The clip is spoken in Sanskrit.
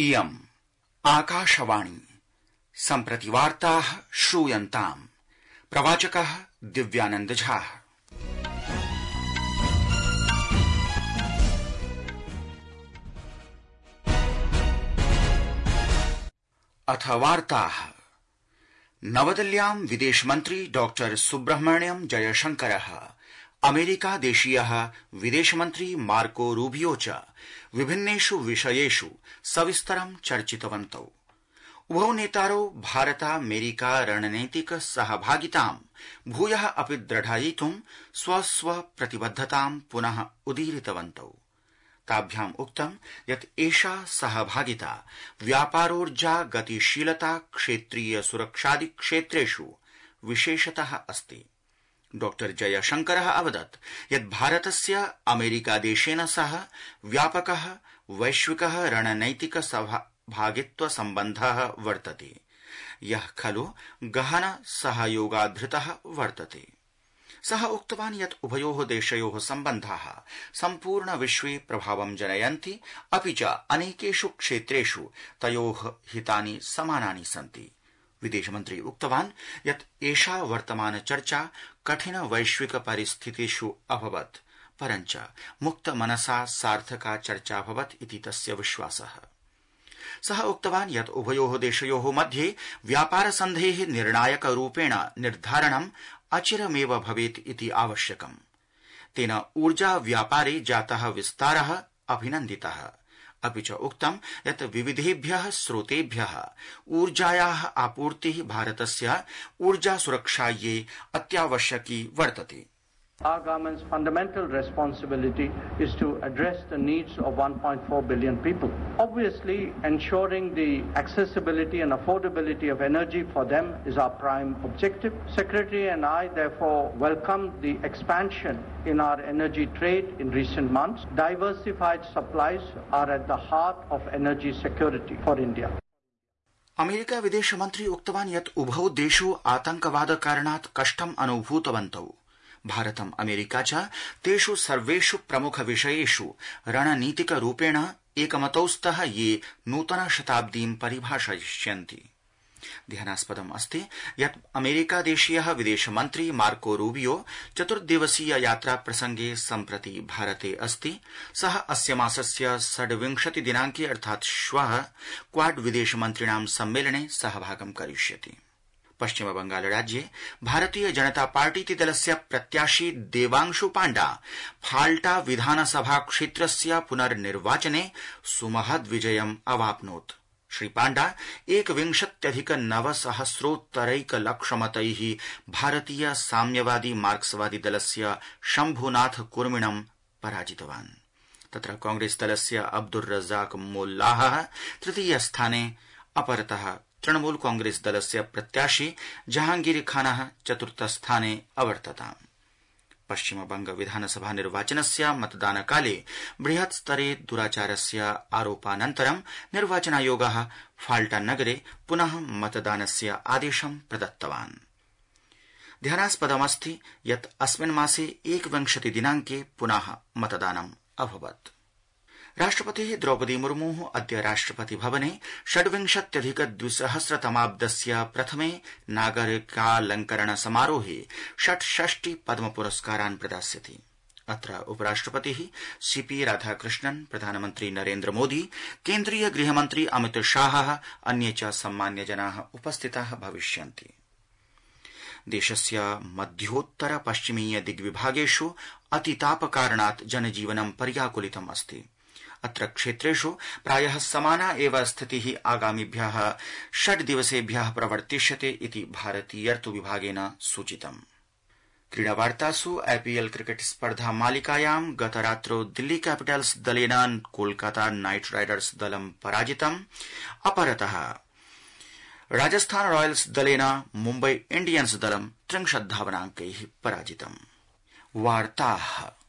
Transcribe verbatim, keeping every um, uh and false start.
इयम् आकाशवाणी सम्प्रति वार्ताः श्रूयन्ताम्। प्रवाचकः दिव्यानंद झा। अथ वार्ताः। नवदिल्ल्यां विदेशमन्त्री डॉक्टर सुब्रह्मण्यम जयशंकरः अमेरिकादेशीयः विदेशमन्त्री मार्को रूबियो च विभिन्नेषु विषयेषु सविस्तरं चर्चितवन्तौ। उभौ नेतारौ भारतामेरिका रणनैतिक सहभागितां भूयः अपि दृढयितुं स्वस्व प्रतिबद्धतां पुनः उदीरितवन्तौ। ताभ्याम् उक्तं यत् एषा सहभागिता व्यापारोर्जा गतिशीलता क्षेत्रीय सुरक्षादि क्षेत्रेषु विशेषतः अस्ति। डॉक्टर जयशंकरः अवदत् यत् भारतस्य अमेरिकादेशेन सह व्यापकः वैश्विकः रणनैतिक सहभागित्व सम्बन्धः वर्तते, यः खलु गहन सहयोगाधृतः वर्तते। सः उक्तवान् यत् उभयोः देशयोः सम्बन्धाः सम्पूर्ण विश्वे प्रभावं जनयन्ति, अपि च अनेकेषु क्षेत्रेषु तयोः हितानि समानानि सन्ति। विदेशमन्त्री उक्तवान् यत् एषा वर्तमान चर्चा कठिन वैश्विक परिस्थितिषु अभवत्, परञ्च मुक्त मनसा सार्थका चर्चा अभवत् इति तस्य विश्वासः। सः उक्तवान् यत् उभयोः देशयोः मध्ये व्यापार सन्धेः निर्णायक रूपेण निर्धारणम् अचिरमेव भवेत् इति आवश्यकम्। तेन ऊर्जा व्यापारे जातः विस्तारः अभिनन्दितः, अपि च उक्तं यत् विविधेभ्यः स्रोतेभ्यः ऊर्जायाः आपूर्तिः भारतस्य ऊर्जा सुरक्षायै अत्यावश्यकी वर्तते। Our government's fundamental responsibility is to address the needs of one point four billion people. Obviously, ensuring the accessibility and affordability of energy for them is our prime objective. Secretary and I therefore welcome the expansion in our energy trade in recent months. Diversified supplies are at the heart of energy security for India. America विदेशमन्त्री उक्तवान् यत् उभौ देशौ आतंकवाद कारणात् कष्टम् अनुभूतवन्तौ। भारतम् अमेरिका च तेषु सर्वेषु प्रमुख विषयेषु रणनीतिक रूपेण एकमतौ स्तः, ये नूतन शताब्दीं परिभाषयिष्यन्ति। ध्यानास्पदम् अस्ति यत् अमेरिकादेशीयः विदेशमन्त्री मार्को रूबियो चतुर्दिवसीय यात्रा प्रसंगे सम्प्रति भारते अस्ति। सः अस्य मासस्य षड्विंशति दिनांके अर्थात् श्वः क्वाड विदेशमन्त्रिणां सम्मेलने सहभागं करिष्यति। पश्चिम बंगाल राज्ये भारतीय जनता पार्टीति दलस्य प्रत्याशी देवांशु पाण्डा फाल्टा विधानसभा क्षेत्रस्य पुनर्निर्वाचने सुमहद् विजयम् अवाप्नोत्। श्री पाण्डा एकविंशत्यधिक नवसहस्रोत्तरैक लक्षमतैः भारतीय साम्यवादी मार्क्सवादी दलस्य शम्भुनाथ कुर्मिणं पराजितवान्। तत्र कांग्रेस दलस्य अब्दुर रज़ाक मोल्लाह तृतीय स्थाने, अपरतः तृणमूल कांग्रेस दलस्य प्रत्याशी जहांगीर खानः चतुर्थ स्थाने अवर्तताम्। पश्चिम बंग विधानसभा निर्वाचनस्य मतदानकाले बृहत् स्तरे दुराचारस्य आरोपानन्तरं निर्वाचनायोगः फाल्टा नगरे पुनः मतदानस्य आदेशं प्रदत्तवान्। ध्यानास्पदमस्ति यत् अस्मिन् मासे एकविंशति दिनांके पुनः मतदानम् अभवत्। राष्ट्रपतिः द्रौपदी मुर्मुः अद्य राष्ट्रपति भवने षड्विंशत्यधिक द्विसहस्रतमाब्दस्य प्रथमे नागरिकालंकरण समारोहे षट्षष्टि पद्म पुरस्कारान् प्रदास्यति। अत्र उपराष्ट्रपतिः सीपी राधाकृष्णन्, प्रधानमन्त्री नरेन्द्र मोदी, केन्द्रीय गृहमन्त्री अमित शाहः, अन्ये च सम्मान्यजनाः उपस्थिताः भविष्यन्ति। देशस्य मध्योत्तर पश्चिमीय दिग्विभागेषु अतितापकारणात् जनजीवनं पर्याकुलितम् अस्ति। अत्र क्षेत्रेषु प्रायः समाना एव स्थितिः आगामिभ्यः षड् दिवसेभ्यः प्रवर्तिष्यते इति भारतीयर्तु विभागेन सूचितम्। क्रीडावार्तासु आईपीएल क्रिकेट स्पर्धा मालिकायां गतरात्रौ दिल्ली कैपिटल्स दलेन कोलकाता नाइट राइडर्स दलं पराजितम्। अपरतः राजस्थान रॉयल्स दलेन मुम्बई इंडियन्स दलं त्रिंशत् धावनांकैः पराजितम्। वार्ताः